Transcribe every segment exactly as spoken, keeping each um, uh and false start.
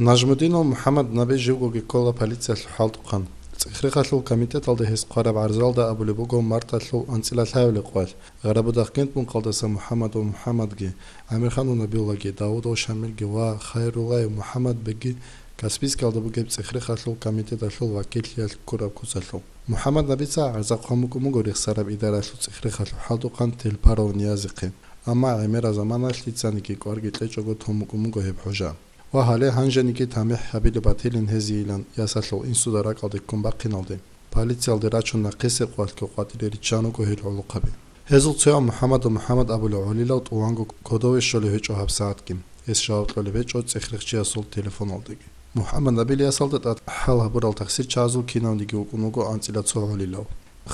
Нажмудинов МухӀаммад Наби живгоги ккола полициялъул хӀалтӀухъан. ЦӀехрехалъул комитеталда гьес хъвараб гӀарзалда абулеб буго марталъул анцӀила лъабабилеб къоялъ Гъарабудахъ Гентмункалдаса МухӀаммадов МухӀаммадги, ГӀамирханов Набиуллагьги, Давудов Шамилги ва Хайруллаев МухӀаммадбегги Каспийскалда бугеб цӀехрехалъул комитеталъул вакиллъиялъ ккураб куцалъул. МухӀаммад Набица гӀарза хъван букӀун буго рехсараб идаралъул цӀехрехалъул хӀалтӀухъан Телпаров Ниязихъе, амма гӀемераб заманалъ лъицаниги кӀварги кьечӀого тун букӀун буго гьеб хӀужа. Ва гьале гьанжениги тамихӀ гьабилеб батилин гьезийилан ясалъул инсуда ракӀалде ккун бахъиналде, полициялде рачун нахъисеб къоялъго къватӀире риччан руго гьел гӀолохъаби. Гьезул цояв МухӀаммадов МухӀаммад абулев гӀолилав тӀуванго кодове щолеб гьечӀо гьабсагӀатги, гьес жаваб кьолеб гьечӀо цӀехрехчиясул телефоналдаги. МухӀаммад Набил ясалда тӀад хӀал гьабурал таксирчагӀазул кинавниги вукӀун вуго анцӀила цо гӀолилав.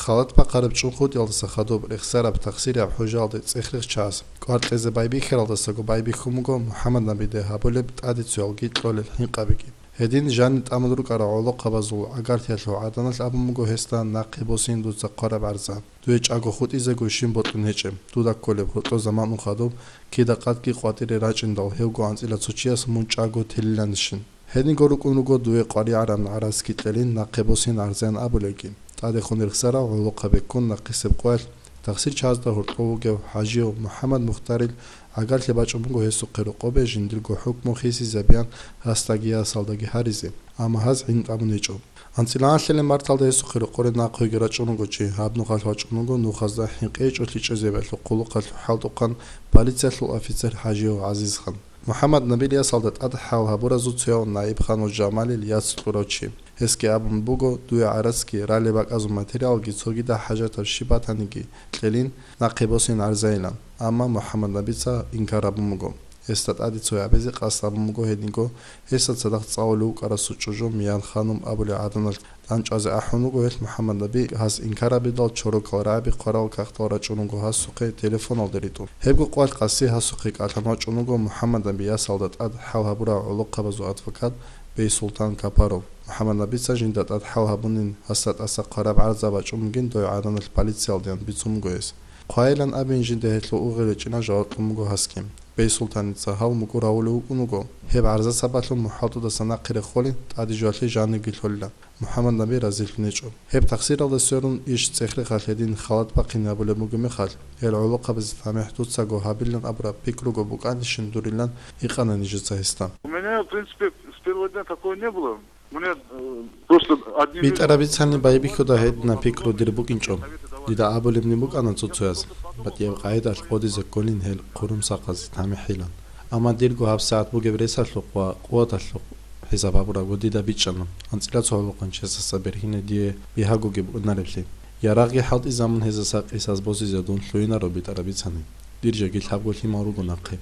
Халат бахъараб чӀунхутӀиялдаса хадуб рехсараб таксирияб хӀужаялде цӀехрехчагӀаз кӀвар кьезе байбихьаралдасаго байбихьун буго МухӀаммад Набиде гьабулеб тӀадицуялги кьолел хӀинкъабиги. Гьедин жанир тӀамун рукӀарал гӀолохъабазул гӀагарлъиялъул гӀаданалъ абун буго гьесда нахъе босин дуца хъвараб гӀарза. Дуе чӀаго хутӀизего щиб бокьун гьечӀеб, дуда кколеб гьоркьо заман хадуб, кида къадги къватӀире рачӀиндал гьевго анцӀила цо чияс мун чӀаго телиланищин. Гьединго рукӀун руго дуе къваригӀараб гӀарацги кьелин нахъе босин гӀарзаян абулелги. ТӀадехун рехсарал гӀолохъаби ккун нахъисеб къоялъ, таксирчагӀазда гьоркьов вугев ХӀажияв МухӀаммад Мухтарил гӀагарлъи бачӀун буго гьесухъе рокъобе жиндирго хӀукму хисизабеян гьасдаги ясалдаги гьаризе, амма гьаз гӀин тӀамун гьечӀо. АнцӀила гӀалъилеб марталда гьесухъе рокъоре нахъеги рачӀун руго чи, гьаб нухалъ вачӀун вуго нухазда хӀинкъи гьечӀо лъичӀезабиялъул хъулухъалъул хӀалтӀухъан полициялъул офицер ХӀажияв ГӀазизхан. МухӀаммад Набил ясалда тӀад хӀал гьабуразул цояв Наибханов Жамалил яц кьурав чи. Гьесги абун буго, дуе гӀарацги ралеб бакӀазул материалги цогидал хӀажатаб щиб батаниги кьелин, нахъе босин гӀарзайилан, амма МухӀаммад Набица инкар гьабун буго. Гьесда тӀаде цо гьабизе къасд гьабун буго гьединго, гьесда цадахъ цӀалулев вукӀарасул чӀужу Миян-ханум абулеб гӀаданалъ дандчӀвазе ахӀун вуго гьелъ МухӀаммад Наби, гьас инкар гьабидал чорокал рагӀаби хъварал кагътал рачӀун вуго гьасухъе телефоналде ритӀун. Гьебго къоялъ къаси гьасухъе кӀалъан вачӀун вуго МухӀаммад Наби ясалда тӀад хӀал гьабурал гӀолохъабазул адвокат Бейсултан Капаров. МухӀаммад Набица жинда тӀад хӀал гьабунин гьасда тӀаса хъвараб гӀарза бачӀун бугин дой гӀаданалъ полициялдеян бицун буго гьес. Хъвайилан абин жинда гьелъул угъи речӀина жаваб кьун буго гьасги. Бейсултаница гьав мукӀур гьавулев вукӀун вуго, гьеб гӀарза сабаблъун мухӀалтӀудаса нахъе реххолин тӀаде жоялъе жанирги лъолила, МухӀаммад Наби разилъун гьечӀо. Гьеб таксиралда сверун иш цӀехрехалъ гьедин халат бахъин гьабулеб бугеб мехалъ, гьел гӀолохъабазе тамихӀ дуцаго гьабилан абураб пикруго букӀанищин дурилан гьикъана нижеца гьесда. У меня, в принципе, с первого дня такого не было. Мне, э, просто одни люди... БитӀараб бицани байбихьуда гьединаб пикру дир букӀинчӀо. Дида абулебни букӀана цо-цояз, батӀияб къагӀидалъ гъодизе кколин гьел хъурумсахъазе тамихӀилан. Амма дирго гьабсагӀат бугеб ресалъухъ ва къуваталъухъ хӀисаб гьабурабго дида бичӀчӀана, анцӀила цо гӀолохъанчиясаса бергьине дие бигьагоги букӀунареблъи. Ярагъги хӀалтӀизабун гьезаса къисас босизе дун лъугьинаро битӀараб бицани. Дир жеги лъабго лъимал руго нахъе.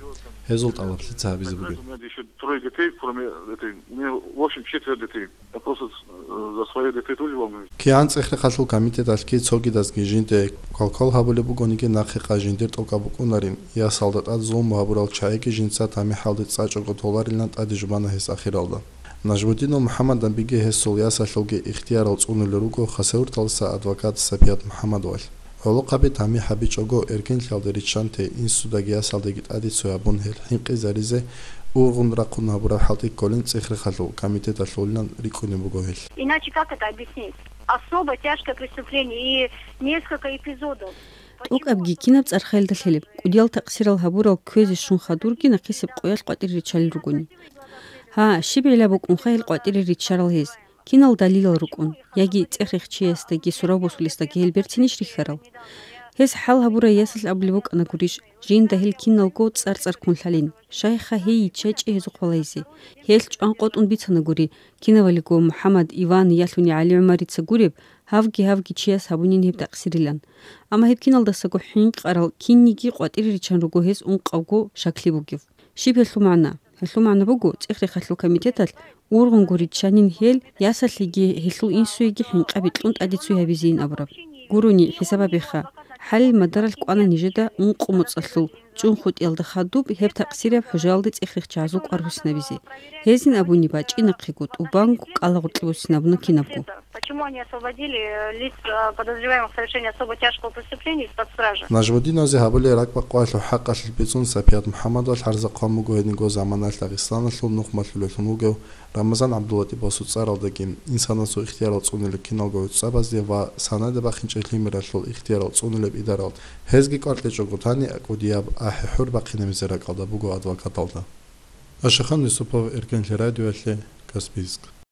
Гьезул тӀалаб лъица гьабизе бугеб? У меня ещё трое детей, кроме этой. У меня, в общем, четверо детей. Я просто, э, за своих детей тоже волнуюсь. КигӀан цӀехрехалъул комитеталъги цогидазги жинде квалквал гьабулеб бугониги нахъе къай жиндир тӀокӀаб букӀунарин, ясалда тӀад зулму гьабурал чагӀиги жинца тамихӀалде цӀачӀого толарилан тӀаде жубана гьес ахиралда. Нажмудинов МухӀаммад Набиги гьесул ясалъулги ихтиярал цӀунулел руго Хасавюрталдаса адвокат Сапият МухӀаммадовалъ. ГӀолохъаби тамихӀ гьабичӀого эркенлъиялде риччанте инсудаги ясалдаги тӀаде цо гьабун гьел хӀинкъизаризе ургъун рахъун гьабураб хӀалтӀи кколин цӀехрехалъул комитеталъулилан рикӀкӀунеб буго гьелъ. Иначе как это объяснить? Особо тяжкое преступление и несколько эпизодов. ТӀокӀабги кинаб цӀархъалда лъелеб, кӀудиял такъсирал гьабурал кквезе щун хадурги нахъисеб къоялъ къватӀире риччалел ругони. Гьа, щиб гӀилла букӀунха гьел къватӀире риччарал гьез? Кинал далилал рукӀун, яги цӀехрехчиясдаги сурав босулесдаги гьел берцинищ рихьарал? Гьес хӀал гьабурай ясалъ абулеб букӀана гурищ, жинда гьел киналго цӀар-цӀар ккун лъалин, щайха гьей йиччачӀи гьезухъ валайзе. Гьелъ чӀван къотӀун бицана гури, кинавалиго МухӀаммад, Иван, ялъуни ГӀали-ГӀумарица гуреб, гьавги-гьавги чияс гьабунин гьеб такъсирилан. Амма гьеб киналдасаго хӀинкъарал кинниги къватӀире риччан руго гьез ункъавго шаклъи бугев. Щиб гьелъул магӀна? Гьелъул магӀна буго, цӀехрехалъул комитеталъ ургъунго риччанин гьел, ясалъеги гьелъул инсуеги хӀинкъаби кьун тӀаде цо гьабизейин абураб. Гурони, хӀисаб гьабеха, хӀалил мадаралъ кӀвана нижеда ункъо моцӀалъул чӀунхутӀиялда хадуб гьеб такъсирияб хӀужаялде цӀехрехчагӀазул кӀвар буссинабизе. Гьезин абуни бачӀинахъего, тӀубанго кӀалагъоркье буссинабуна кинабго. Почему они освободили, э, лиц, э, подозреваемых в совершении особо тяжкого преступления из-под стражи? Нажмудиновзе гьабулел ракӀбакъвалъул хӀакъалъулъ бицун Сапият МухӀаммадовал хӀарзахъван буго гьединго заманалъ Дагъистаналъул нухмалъулеллъун вугев Рамазан ГӀабдуллатӀибасул цӀаралдаги, инсанасул ихтиярал цӀунилел киналго гӀуцӀабазде ва санаде бахинчӀеб лъимералъул ихтиярал цӀунилеб идаралде. Гьезги кӀвар кьечӀого тани, кӀудияб ахӀи-хӀур бахъинабизе ракӀалда буго адвокаталда. Ашахан Юсупов, Эркенлъи радиоялъе, Каспийск.